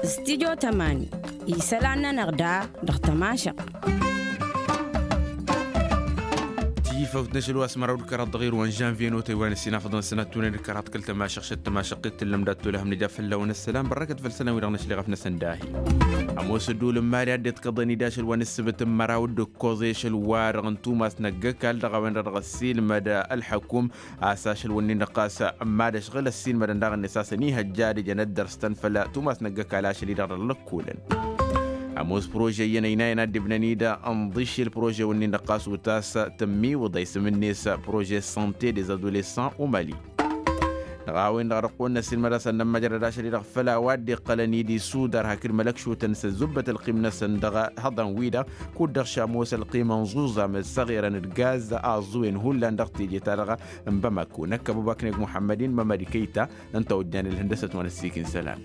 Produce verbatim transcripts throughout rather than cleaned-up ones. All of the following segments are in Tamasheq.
Stidyo tămani isălan-nănăɣ da dăɣ-tămašăɣt. Tifăwt n-ašăl wa s-măraw d-kăraḍ dăɣ-irwan žănvye n-otăy wa n-ǝssin afăḍăn sănăt tunăn d-kăraḍ kăl-tămašăɣt šăt tămašăɣt t-tǝllăm dat-tolăhăm nǝja fălla-wen ăssălam bărrăkăt făll-sălan-wi-dăɣ năšleɣ ăfnăsăn dahi. Ămoos ădduul n-mali ad-dd-kăḍăn-dd ašăl wa n-ǝssǝbǝt n-măraw d-ǝkkoẓ i-ašăl-wa-dăɣ n-tumas n-ăggăkal dăɣ-a-wen-dăɣ dăɣ-ăssiilmăd ălḥăkum a-s ašăl wǝnnin-dăɣ ɣas n-mad-ăšɣǝl ăssiilmădăn daɣ-net a-s ănihăjja ad-ǝjăn ad-dăr-s tăn făll-tumas n-ăggăkal ašăl-i-dăɣ dăɣ-lăkkolăn. Ămoos prože iyyăn ăynayăn ad-dd-ibnăn-dd ănḍǝššel prože-wǝnnin-dăɣ ɣas utas tămmiwǝḍ a isǝm-net prože sante des adolescents au mali. Dăɣ-a-wen-dăɣ dăɣ-kăwăn-năssiilmăd a-s ad-nămmăjrăd ašăl-i-dăɣ făll-a-wa dd-iqqălăn-dd isudar hakd mălăkšutăn s-ăzzubbăt ălqim-năsăn dăɣ-ihăḍan-wi-dăɣ kud-dăɣ šamoos ălqim ănẓuẓam ăssaɣerăn d-gaz aẓẓuwen hullan dăɣ-teje-ta-dăɣ n-bamako năkkăb abubakneg muḥămmăd-in mămăd kăyta. Ǝnta ojjan ǝlhǝndăsăt wa n-ăssiik n-isălan.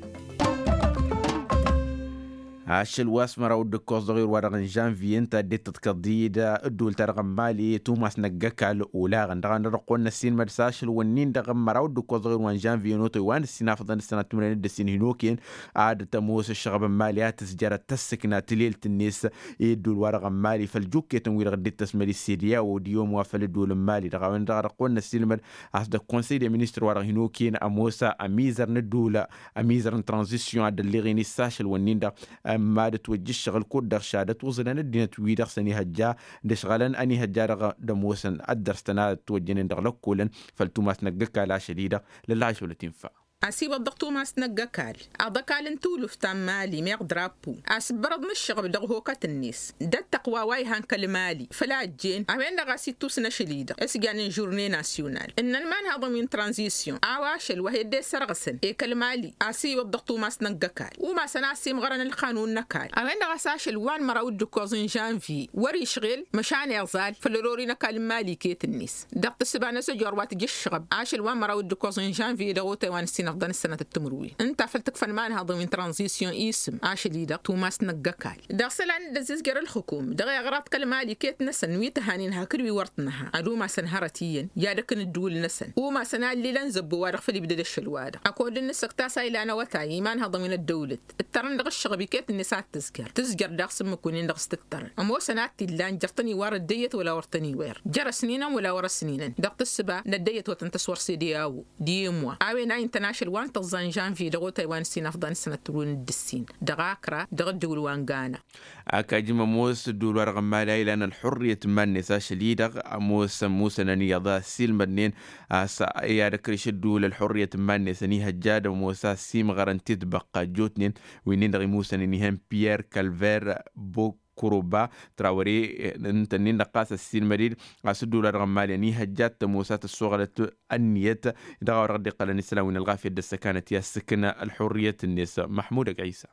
Ašăl wa s-măraw d-ǝkkoẓ dăɣ-irwa-dăɣ n-žănvye ǝnta a dd-tǝḍkăḍ-dd ădduul-ta-dăɣ n-mali tumas n-ăggăkal olaɣăn dăɣ-a-wen-dăɣ dăɣ-kăwăn-năssiilmăd s-ašăl wǝnnin-dăɣ n-măraw d-ǝkkoẓ dăɣ-irwa n-žănvye n-otăy wa n-ǝssin afăḍăn d-sănat timǝrwen d-ǝssin hin-okăyăn ad-tămoos ăššăɣăb n-mali a tǝzjăr ad-tăssǝkna tǝlelt-net i-ădduul-wa-dăɣ n-mali făll-jukketăn-wi-dăɣ dd-tăsmăd i-sediya o d-iyyăm wa făll-ădduul n-mali dăɣ-a-wen-dăɣ dăɣ-kăwăn-năssiilmăd a-s dăɣ-konsăy de ministăr wa dăɣ-hin-okăyăn ămoos ămizăr n-ădduul ămizăr n-tranzisyon ad-ălleɣen-i s-ašăl wǝnnin-dăɣ. Ămma d-ătwăjjǝššăɣǝl kud-dăɣ šadăt uẓǝnăn ăddinăt-wi-dăɣ s-ănihăjja d-ăšɣălăn ănihăjja-dăɣ d-ămoosăn ăddăr s-tăn-a ătwăjjănen dăɣ-lăkkolăn făll-tumas n-ăggăkal ašăl-i-dăɣ. Lăllaɣ ašăl wăr t-infa. Asiwăḍ dăɣ-tumas n-ăggăkal aḍăkal n-tulǝft ta n-mali meɣ drapo asǝbbărăḍ n-ǝššăɣăb dăɣ-hokăt-net d-ăttăqwa wa ihan kăl-mali făl-a ăjjeen a-wen-dăɣ a-s ittus n-ašăl-i-dăɣ s-janen žurne nasyonal ǝnnăn imanhaḍăn wi n-tranzisyon a-wa ašăl wa he-dd-e-sărɣǝsăn i-kăl-mali a-s iwǝḍ dăɣ-tumas n-ăggăkal umasăn a-s imɣărăn ălqanun n-ăkall a-wen-dăɣ a-s ašăl wa n-măraw d-ǝkkoẓ n-žănvye wăr-išɣel măšan iẓal făll-ărori n-ăkall n-mali iket-net dăɣ-tǝssǝba n-asăjor wa tǝjǝššăɣăb ašăl wa n-măraw d-ǝkkoẓ n-žănvye dăɣ-otay wa n-ǝssin ăfḍăn ǝssănăt d-timǝrwen ǝnta făl tǝkfăn imanhaḍăn wi n-tranzisyon isǝm ašăl-i-dăɣ tumas n-ăggăkall dăɣ-isălan dd-ăzzizjăr ǝlxǝkum dăɣ-iɣraḍ kăl-mali iket-năsăn wi tǝhanen hakd wi wăr t-nǝha ad-umasăn hărăt iyyăn i-ad-ăkk n-ǝddǝwǝl-năsăn umasăn allilăn zăbbo-wa-dăɣ făl ibdăd ašăl-wa-dăɣ ăkord n-inǝssăk ta s-a ilan awătay imanhăḍăn wi n-ăddăwlăt ǝttărăn dăɣ-ǝššăɣăb iket-net ad-tǝzjăr tǝzjăr daɣ s-ǝmmǝk wǝnnin-dăɣ s-tǝttărăn ămoosăn ad-t-illan jăr-tăn iwar ăddăyyăt wăla wăr tăn-iwer jăr-ăsninăn wăla wăr-ăsninăn dăɣ-tǝssǝba n-ăddăyyăt wăr tăn-tăswăr s-ede a-wo d-iyyăm wa a-wen a intăn ašăl wa n-tăẓẓa n-žănvye dăɣ-otay wa n-ǝssin afḍăn d-sănăt turwen d-ǝssin dăɣ-akra dăɣ-ǝddǝwǝl wa n-gana. Ak ajǝm ămoos ǝddǝwǝl-wa-dăɣ n-mali a ilan ălḥurriyăt n-iman-net ašăl-i-dăɣ ămoos ămusănăn iyyăḍ a ăssiilmădnen a-s i-ad-ăkrǝš ǝddǝwǝl ălḥurriyăt n-iman-net ănihăjja ad-ămoos a ăssiimɣărăn titbăqqa ăjjootnen wi-nin-dăɣ imusănen ihăn piyerr kălver bokkuruba trawăre ǝnta-nin-dăɣ ɣas ăssiilmăd-dd a-s ǝddǝwǝl-wa-dăɣ n-mali ănihăjja ad-tămoos a tăssoɣălăt ănniyăt dăɣ-a-wa dăɣ-dd-iqqălăn isălan wi n-ălɣafyăt d-ăssăkanăt i-ad-sǝkna ălḥurriyăt-net. Măḥmud ăgg-ɣisa.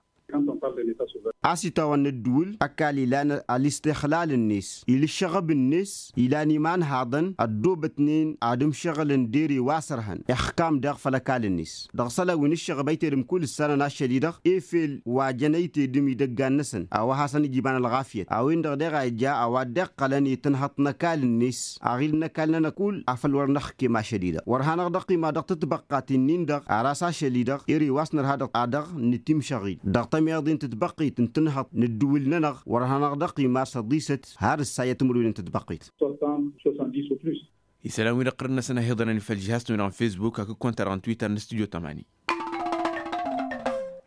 A-s itawăn n-ǝddǝwǝl ăkall ilan ălistixlal-net il' ǝššăɣăb-net ilan imanhaḍăn ăddoobătnen ad-ǝmšăɣǝlăn d-ere wa sărhăn ixkam daɣ făll-ăkall-net dăɣ-isălan wi n-ǝššăɣăb ăytedăm kull ǝssanăn ašăl-i-dăɣ efel wa jăn ăytedăm idăggan-năsăn a-wa hasăn-ija iba n-ălɣafyăt a-wen-dăɣ deɣ a ija a-wa dd-iqqălăn i-tǝnhăḍt n-ăkall-net aɣil n-ăkall-nănăɣ kull afăl wăr năxkem ašăl-i-dăɣ wăr hanăɣ-dd-ăqqim a dăɣ-tǝtbăqqat-in-dăɣ ar a-s ašăl-i-dăɣ ere wa s-nărha dăɣ-a dăɣ-nǝtimšăɣ-dd dăɣ-tămiḍe n-tǝtbăqqit n-tǝnhăḍt n-ǝddǝwǝl-nănăɣ wăr hanăɣ-dd-ăqqim a-s ăḍisăt har ǝssa i-ad-tǝmrǝwǝyăn tǝtbăqqit. Isălan-wi-dăɣ ɣur-năsăn a hi-iḍărăn făll-žihaz n-win-dăɣ n-fesbuk hakd konta-dăɣ n-twitter n-studyo tămani.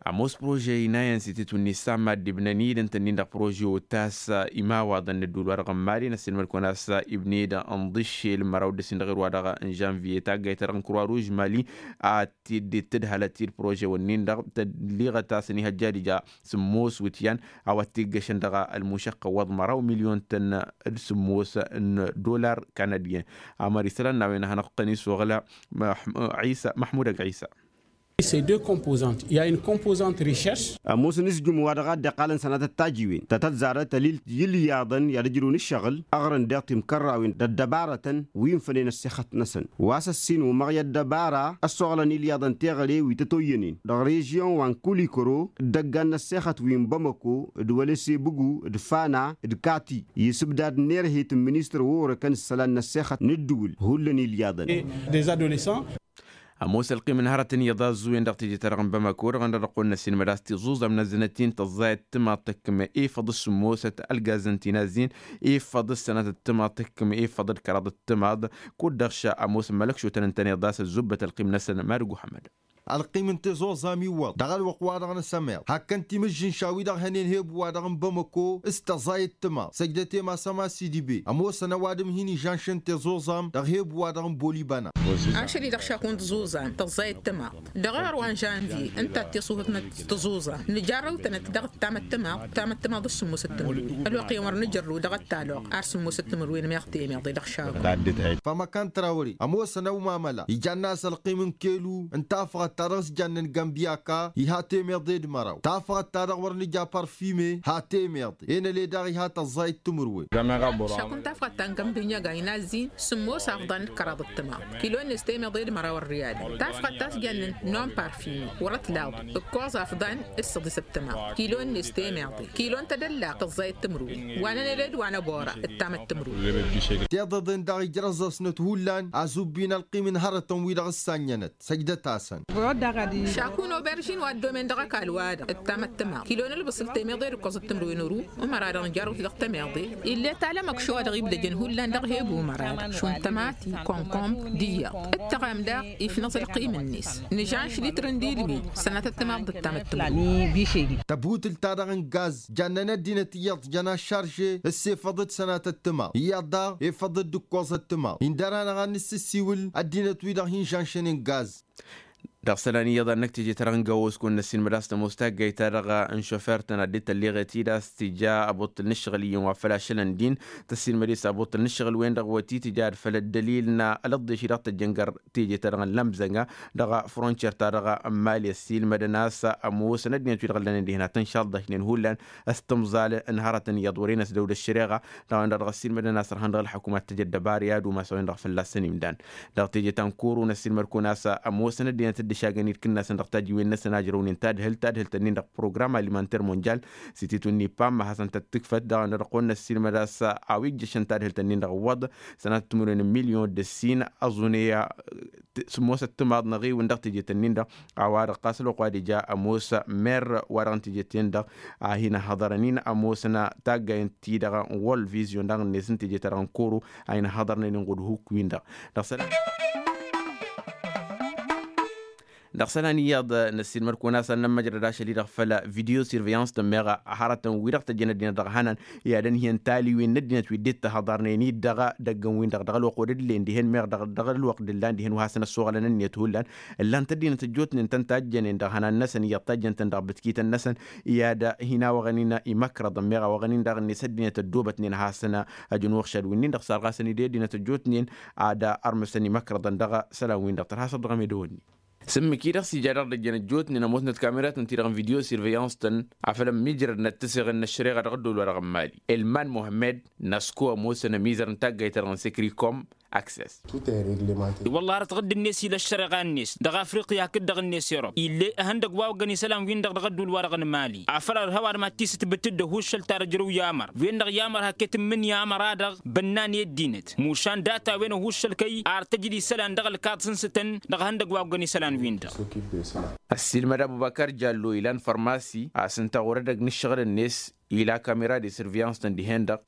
Ămoos prože inayăn s-itǝtwǝnni s-amma dd-ibnăn-dd ǝnta-nin-dăɣ prože otas imawaḍăn n-ădduul-wa-dăɣ n-mali n-ăssiilmăd-kăwăn a-s ibne-dd ănḍǝššel măraw d-ǝssin dăɣ-irwa-dăɣ n-žănviye taggayt-ta-dăɣ n-kurwa ruž mali a t-dd-tǝdhălăt i-dd prože-wǝnnin-dăɣ tălliɣăt a-s ănihăjja ad-ija sǝmmos wǝtyan a-wa t-iggăšăn dăɣ-ălmušăqqăwăḍ măraw milyon-tăn d-sǝmmos n-dolar kanadyen. Amăr isălan n-a-wen a hanăɣ-tăn-isuɣǝl măḥmud ăgg-ɣisa. Ces deux composantes, i-a une composante recherche. Ămoosăn isjǝm wa dăɣ-a dd-iqqalăn sănatăt tajiwen ta tăzzarăt ălil, i-ǝlyaḍăn i-ad-ǝjrǝwăn ǝššăɣǝl, ăɣrǝn deɣ timkărrawen d-ăddăbarătăn wi n-fănen ăssexăt-năsăn. Wa s-ăssin umăɣ i-ăddăbara ăssoɣlăn ilyaḍăn teɣăre wi tătoyyănen dăɣ-režyon wa n-kulikăro, d-ăggan n-ăssexăt wi n-bamăko d-wălesebǝgu d-fana d-kati, i-isǝbdad n-erhet n-ministăr wa orăkăn ǝssălan n-ăssexăt n-ǝddǝwǝl hullan ilyaḍăn. Des adolescents. Ămoos ălqim n-hărătăn iyyăḍ a ăzzuwen dăɣ-teje-ta-dăɣ n-bamăko dăɣ-ănn dăɣ-ăqqoyăn n-ăssiinmăd a-s tiẓuẓam n-ăzzănăt-in tăẓẓayăt timaḍt tăkkǝm efăḍ s-sǝmmosăt ălgazăn ti n-azzin, efăḍ s-sănatăt timaḍt tăkkǝm efăḍ d-kăraḍăt timaḍ. Kud-dăɣ ša ămoos n-mălăkšotăn ǝntăneḍ a-s ăzzubbăt ălqim-năsăn mad-ăgg uḥămmăd. Ălqim n-tiẓuẓam iwwăḍ dăɣ-ălwăqq-wa-dăɣ n-asămeḍ hakk ăntimǝžžǝn šawi-dăɣ hănen hebu wa-dăɣ n-bamăko s-tăẓẓayăt timaḍt săjdăt i-masăm a-s idibe ămoosăn ăwadǝm hin-ižanšăn tiẓuẓam dăɣ-hebu wa-dăɣ n-bolibăna. Ašăl-i-dăɣ šaku n-tiẓuẓam tăẓẓayăt timaḍt dăɣ-iɣăr wa n-žanvye ǝnta d-tiṣuhǝt n-tiẓuẓam nǝjarrăw-tănăt dăɣ-ǝttamăt timaḍt ǝttamăt timaḍ d-sǝmmosăt timǝrwen ălwăqq-en wăr nǝjărrǝw dăɣ-ăttalăɣ ar sǝmmosăt timǝrwen meɣ temeḍe dăɣ-šaku. Fămăkan trawăre ămoosăn ăwmamăla ijann'-as ălqim n-kelu n-tafăɣăt ta dăɣ-s jannen gambiyaka iha temeḍe d-măraw tafăɣăt ta dăɣ-wăr nǝja parfime ha temeḍe enăle daɣ iha tăẓẓayăt timǝrwen. Šakun tafɣăt ta n-gămbǝnyaga inazzin sǝmmos afḍan d-kăraḍ d-tămaḍ kilo-net temeḍe d-măraw ărriyadăn tafɣăt ta s-jannen non parfime wăr-ătlaḍ ǝkkoẓ afḍan d-săḍisăt tămaḍ kilo-net temeḍe kilo n-tadălla tăẓẓayăt timǝrwen wa n-enăle d-wa n-ăbora d-tamăt timǝrwen. Tiḍeḍen daɣ ijrăẓ-asnăt hullan azubbin ălqim n-hărătăn-wi-dăɣ ǝssannănăt săjdăt-asăn. Šakun oberžin wa ăddomen dăɣ-ăkall-wa-dăɣ ǝttamăt tămaḍ kilo n-ǝlbǝsǝl temeḍe d-ǝkkoẓăt timǝrwen ăru umăra-dăɣ nǝjarrăw-t dăɣ-temeḍe ill'-e talămăkš wa dăɣ-ibdăjăn hullan dăɣ-hebu umăra-dăɣ šund tămati konkomb d-iyyăḍ ǝttăɣam daɣ ifnăẓ ălqim-net nǝžanš litr n-dilwin sănatăt timaḍ d-ǝttamăt tǝmrǝw. Tăbutǝlt-ta-dăɣ n-gaz jannen ăddinăt iyyăḍ jăn aššarže ăssefăḍăt sănatăt timaḍ iyyăḍ daɣ efăḍăt d-ǝkkoẓăt timaḍ indăr-anăɣ ad-nǝssǝssiwǝl ăddinăt-wi-dăɣ hin-žanšăn n-gaz. Dăɣ-isălan iyyăḍ a n-năkk teje-ta-dăɣ n-găwos kăwăn-năssiinmăd a-s tămoos taggayt-ta-dăɣ n-šofert-tăn ad-dd-tălleɣet-dd a-s tija ăbuṭṭǝl n-ǝššăɣǝl iyyăn wa făl ašălăn din tăssiinmăd-e s-abuṭṭǝl n-ǝššăɣǝl-wen-dăɣ wăt-itǝja ad-făl ăddălil n-alăḍḍeš-i-dăɣ tăjjăn găr teje-ta-dăɣ n-lămzănga dăɣ-frontier-ta dăɣ-mali ăssiilmădăn a-s ămoosăn ăddinăt-wi-dăɣ ǝllănen dihen ad-tăn-šaḍḍăšnen hullan s-timẓal n-hărătăn iyyăḍ wăren ăsdăw d-ăššăreɣa. Dăɣ-a-wen-dăɣ dăɣ-ăssiilmădăn a-s ărhan dăɣ-ălḥăkum ad-t-ăj ăddăbar i-ad-umas a-wen-dăɣ fălla-săn imdan dăɣ-teje ta n-kuru n-ăssiilmăd-kăwăn a-s ămoosăn ăddinăt dd-išagăn-dd kǝnnasăn dăɣ-tajiwen-năsăn a ǝjrăwnen tadhǝlt tadhǝlt-nin-dăɣ program alimănter monjal s-ititun n-ipam ma hasăn-tăt-tǝkfăt dăɣ-a-wen-dăɣ dăɣ-kăwăn-năssiilmăd a-s a-wa ijjăšăn tadhǝlt-nin-dăɣ ǝwwăḍ sănatăt timǝrwen n-milyon d-ǝssin ăẓune. Sǝmmosăt timaḍ n-aɣiwǝn dăɣ-teje-tăn-nin-dăɣ a-wa-dăɣ ɣas ălwăqq wa d-ija ămoos mer-wa-dăɣ n-teje-ten-dăɣ a hin-ăhhăḍărăn-in ămoosăn taggayăn-ti-dăɣ n-world vision daɣ-net n-teje-ta-dăɣ n-kuru a hin-ăhhăḍărnen inɣud huk-win-dăɣ. Dăɣ-isălan dăɣ-isălan iyyăḍ n-ăssiilmăd-kăwăn a-s ad-nămmăjrăd ašăl-i-dăɣ făll-video surveillance-tăn meɣ hărătăn wi-dăɣ tăjjăn ăddinăt dăɣ-ihănan i-ad-ănhǝyăn taliwen n-ăddinăt wi dd-tahăḍarnen-dd dăɣ-idăggăn-win-dăɣ dăɣ-ălwăqq wa dd-ǝllen dihen meɣ dăɣ-ălwăqq dd-ǝllan dihen wa hasăn-ăssoɣlăn ǝnniyăt hullan ǝllan-t ăddinăt ăjjootnen tăn-tajjănen dăɣ-ihănan-năsăn iyyăḍ tajjăn-tăn dăɣ-bǝtkităn-năsăn. I-ad-hin-awăɣăn-in imăkrăḍăn meɣ awăɣăn-in daɣ-net ăddinăt ăddoobătnen ad-hasăn-ăjǝn uɣšad wi-nin-dăɣ sarɣasăn-dd i-ăddinăt ăjjootnen ad-ărmǝsăn imăkrăḍăn dăɣ-isălan-win-dăɣ tărha săr dăɣ-emedăwănni. S-ǝmmǝk-i-dăɣ s-ija dăɣ-dd-ăjjăn ăjjootnen ămoosnăt kameratăn-ti-dăɣ n-video surveillance-tăn afăl ămmiijrădnăt tǝseɣen n-ăššăreɣa dăɣ-ăddool-wa-dăɣ n-mali elman muhămmed năsko ămoosăn ămizăr n-taggayt-ta-dăɣ n-sekrikom. Access. Wălla hărăt ɣǝdd-net ila ăššăreɣa-net dăɣ-afriqya hakd-dăɣ-net erop ill'-e ăhăndăgg wa oggăn isălan-win-dăɣ dăɣ-ăddool-wa-dăɣ n-mali afăl ărhăw ad-mad-tisǝtbǝt-dd ăhuuššăl ta dăr-ijrăw i-amăr wen-dăɣ i-amăr hak-e tǝmmǝnǝya amăra-dăɣ bănnan i-ăddinăt mušan data-wen ăhuuššăl kăy-ar tăjǝd isălan dăɣ-ălkaḍ sǝnsǝtăn dăɣ-ehăndăgg wa oggăn isălan-win-dăɣ. Ăssiilmăd abubăkar jallo ilan fărmasi a-s ǝnta ɣur-edăgg n-ǝššăɣǝl-net ila kamera de surveillance-tăn dihen-dăɣ.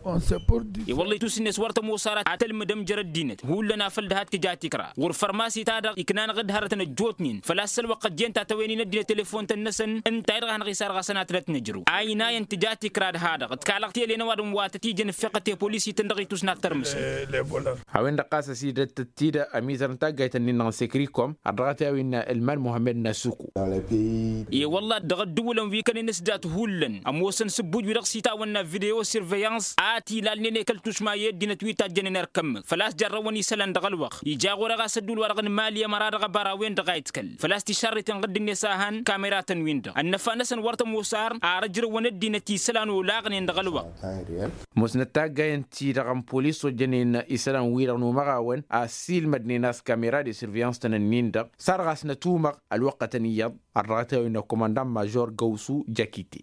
I-wălla itus-net wăr tămoos ara ad-tălmǝdăm jer-ăddinăt hullan afăl dăhat tǝja tikra ɣur-fărmasi-ta-dăɣ ikna-năɣ-dd hărătăn ăjjootnen făl-a-s ălwăqq ăjjeen ta tăwăynen ăddinăt telefon-tăn-năsăn ǝnta-i-dăɣ a hanăɣ-isarɣasăn ad-t-năt-nǝjrǝw a inayăn tǝja tikra d-ha-dăɣ ǝtkalăɣ tele n-ăwadǝm wa tăt-ijăn ǝffeɣăt i-polis-ităn dăɣ-itusnat tărmǝsăn. A-wen-dăɣ ɣas ăsidăt-t-dd ămizăr n-taggayt-nin-dăɣ n-sekrikom ad-dăɣ-t i-a-wen ălman muhămmed n-asuku. I-wălla dăɣ-ăddǝwǝlăn wi kănen s-dat hullan ămoosăn s-ǝbbuj. dăɣ-s itawănna video surveillance a ătilalnen i-kăl-tušma i-ăddinăt wi tajjănen erk ǝmmǝk făl-a-s jarrăwăn isălan dăɣ-ălwăqq. Ija ɣur-e ɣas ădduul-wa-dăɣ n-imali ămăra dăɣ-abărawen-dăɣ a itkăl făl-a-s tišarreten ɣǝdd-net a han kameratăn-win-dăɣ ănnăfa-năsăn wăr tămoos ar ar ăjrăwăn ăddinăt isălan olaɣnen dăɣ-ălwăqq. Musnăt taggayăn-ti-dăɣ n-polis ojjănen isălan-wi-dăɣ n-umăɣawăn a ăssiilmădnen a-s kamera de surveillance-tăn-ǝnnin-dăɣ. Sarɣasnăt umăɣ ălwăqqătăn iyyăḍ ărrăɣăt i-a-wen ăkkumăndan major găwsu jăkite.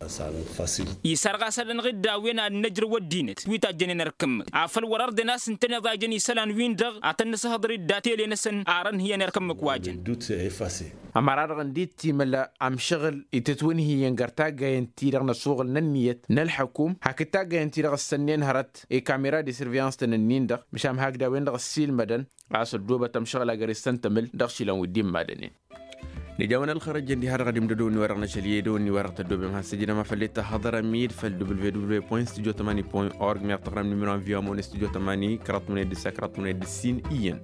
Isărɣas ad-ănɣ-dd a-wen ad-năjrăw ăddinăt wi tajjănen erk ǝmmǝk afăl wăr-ărden a-s ǝntăneḍ a jăn isălan-win-dăɣ ad-tăn-nǝsǝhhăḍăr-dd atele-năsăn ar ănhǝyăn erk ǝmmǝk wa jăn. Ămăra-dăɣ ǝndi-t timǝla amšăɣǝl itǝtwǝnhǝyăn găr taggayăn-ti-dăɣ n-asuɣǝl n-ǝnniyăt n-ălḥăkum hakd taggayăn-ti-dăɣ ǝssănnen hărăt i-kamera de surveillance-tăn-ǝnnin-dăɣ. Măšan hakd a-wen-dăɣ ăssiilmădăn a-s ăddoobăt amšăɣǝl agăr issăn tămǝl dăɣ-išilan wi dd-immadănen. Nǝja a-wen ălxărăjjăn diha-dăɣ ad-imdădăwăn wi-wa-dăɣ n-ašăl i-edăwăn wi-wa-dăɣ tăddoobem has-ǝjrăm a făl i-tăhhăḍărăm-dd făll-www point studio tămani point org meɣ tăɣrăm numero n-viwa măwăn studio tămani kăraḍ tămăned d-ǝssa kăraḍ tămăned d-ǝssin iyyăn.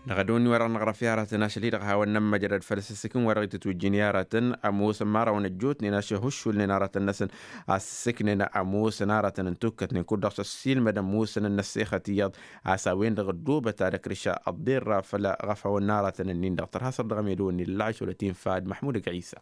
Dăɣ-edăwăn wi-wa-dăɣ năɣrăf i-aratăn ašăl-hi-dăɣ a hawăn-nămmăjrăd făll-asǝssǝk n-wa-dăɣ itǝtwǝjjǝn i-aratăn ămoosăn imărawăn ăjjootnen a-s ihǝššulnen aratăn-năsăn a sǝssǝknen ămoosăn aratăn n-tukkătnen kud-dăɣ s-ăssiilmădăn musăn n-ăssexăt iyyăḍ. A-s a-wen-dăɣ ăddoobăt ad-ăkrǝša ăḍḍerra făll-aɣăfawăn n-aratăn-ǝnnin-dăɣ tărha săr dăɣ-emedăwăn n-illa ašăl ătinfa d-măḥmud ăgg-ɣisa.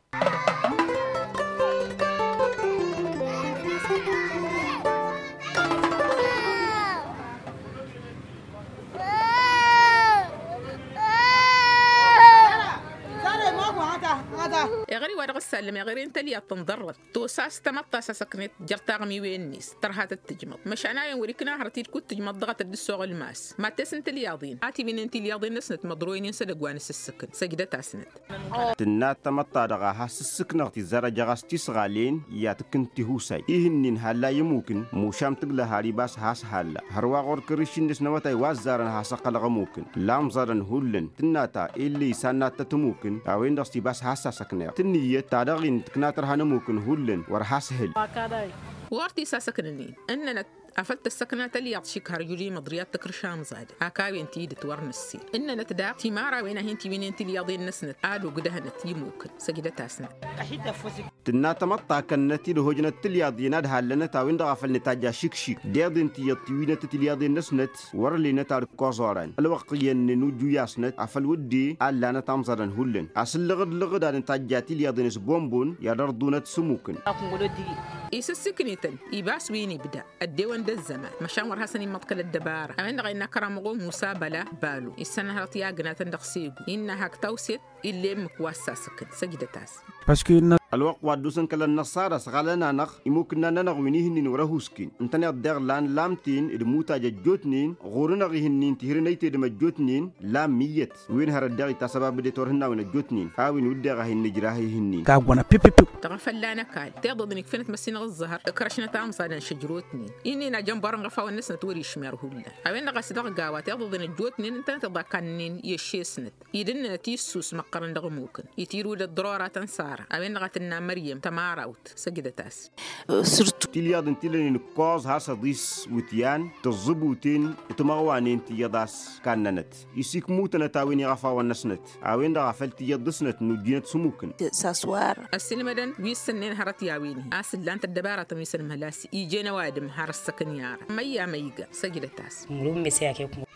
Eɣări wa dăɣ-s sallăm eɣări n-tălyaḍt tǝnḍărrăt tosa s-tamăḍt ta s-asăknet jer-taɣmiwen-net tărha tăt-tǝjmăḍ măšan a-wen wăr-ikna hărăt-dd kud-tǝjmăḍ dăɣ-tăt dd-soɣ ălmas. Mattes n-tilyaḍen a tiwǝnnen tilyaḍen-năsnăt măḍroynen s-edăgg wa n-asǝssǝkǝn săjdăt-asnăt. Tǝnna tamăḍt ta dăɣ-a has-ǝssǝknăɣ tizarăj a ɣas tisɣalen i-ad-tǝkkǝn tihusay ihǝnnin halla i-ămmukǝn mušam tǝglăh ar ibas has-halla hărwa ɣur-kăriš-net n-awătay wa ăzzarăn has-ăqqălăɣ ămmukǝn lamẓadăn hullan tǝnna ta ill'-e isannat tăt-ămmukǝn a-wen-dăɣ s-ibas has-sasăkneɣ tǝnnǝyyăt ta dăɣ-in tǝkna tărha n-ămmukǝn hullan wăr has-hǝl. Wăr t-isasăknăn-in ǝnnănăt afăl tăssăkna tălyaḍt šik har juri măḍriyat tǝkrǝš amẓadăn ak a-wen tidǝt wăr nǝssin ǝnnănăt daɣ timărawen a hin-tiwǝnnen tilyaḍen-năsnăt ad-ogdăhnăt imukǝn. Săjdăt-asnăt. Tǝnna tamăḍt ta kănnăt-dd ăhojnăt tilyaḍen ad-hallănăt a-wen-dăɣ a făl nǝtajj ašǝkšik deḍen tiyyăḍ tiwǝynăt tilyaḍen-năsnăt wăr-ălenăt ad-ǝkkoẓ oran ălwăqq iyyăn n-inujju i-asnăt afăl wădden a ǝllanăt amẓadăn hullan asǝllăɣǝd-lăɣǝd ad-nǝtajja tilyaḍen s-bombon i-ad-ărḍunăt s-ămmukǝn. Isǝssǝknităn ibas wi n-ibda ăddewăn d-ăzzăman măšan wăr hasăn-immăḍkăl ăddăbara a-wen-dăɣ a innă kăramăɣo musa băla balo issănhărăt i-agnatăn dăɣ-segu innă hak tawset. Ill'-e ǝmmǝk wa s-sasǝkǝn săjdăt-as. Ălwăqq wa dd-osăn kăl-ănnăṣṣara s-ɣalăn-anăɣ imukǝnnan-nănăɣ wi n-ihǝnnin wăr-ăhusken ǝntăneḍ daɣ lan lamten d-imutaj ăjjootnen ɣur-nănăɣ ihǝnnin tihǝrǝn ăytedăm ăjjootnen lammi iyyăt wi n-hărăt daɣ itasăbabădet wăr hǝnnawen ăjjootnen a-wen wǝdden a hin-nǝjrah ihǝnnin. Kagg wănăt pipipiw. Dăɣ-afălla n-ăkall tiḍăḍ n-ikfănăt măssinăɣ ǝẓẓăhăr ǝkrăšnăt amẓadăn šăjrotnen. Inn'-en ajănbăr n-iɣăfawăn-năsnăt wăr-išmer hullan a-wen-dăɣ a-s dăɣ-gawa tiḍăḍ n-ăjjootnen ǝntănăt iḍa kannăn i-ăššesnăt. Idǝnnănăt issus măqqărăn dăɣ-ămmukǝn itirǝw d-ăḍḍărora tăn-sara a-wen-dăɣ a tǝnna măryăm tămarawt. Săjdăt-as. Tilyaḍ n-tilănen ǝkkoẓ has-ăḍis wǝtyan tǝẓẓǝbuten timăɣwanen tiyyăḍ a-s kannănăt isikmutănăt a-wen iɣăfawăn-năsnăt a-wen-dăɣ a făl tiyyăḍ dăɣ-snăt n-ujjinăt s-ămmukǝn. Ăssiilmădăn wi s-sǝnnen hărăt i-a-wen-hi a-s ǝllan-t ăddăbaratăn wi s-ănmăhăl a-s ijen ăwadǝm har ăssăkăn i-ara măyya măyga. Săjdăt-as.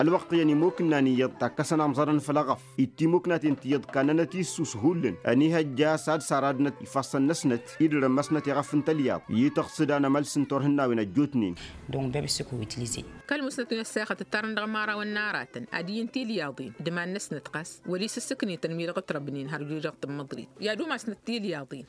Ălwăqq iyyăn imokǝnnan iyyăḍ takkăsăn amẓadăn făll-aɣăf ittimoknaten tiyyăḍ kannănăt issus hullan ănihăjja a-s ad-saradnăt ifassăn-năsnăt idărămmăsnăt iɣăf n-tălyaḍ i-tăɣsǝd anămălsǝn turhǝnnawen ăjjootnen. Kăl-musnăt wi n-ăssexăt ǝttarăn dăɣ-imărawăn n-aratăn ad-iyyǝn tilyaḍen d-iman-năsnăt ɣas wăla isǝssǝknităn wi-dăɣ ǝtrăbnen har juri dăɣ-tǝmmăḍrit i-ad-umasnăt tilyaḍen.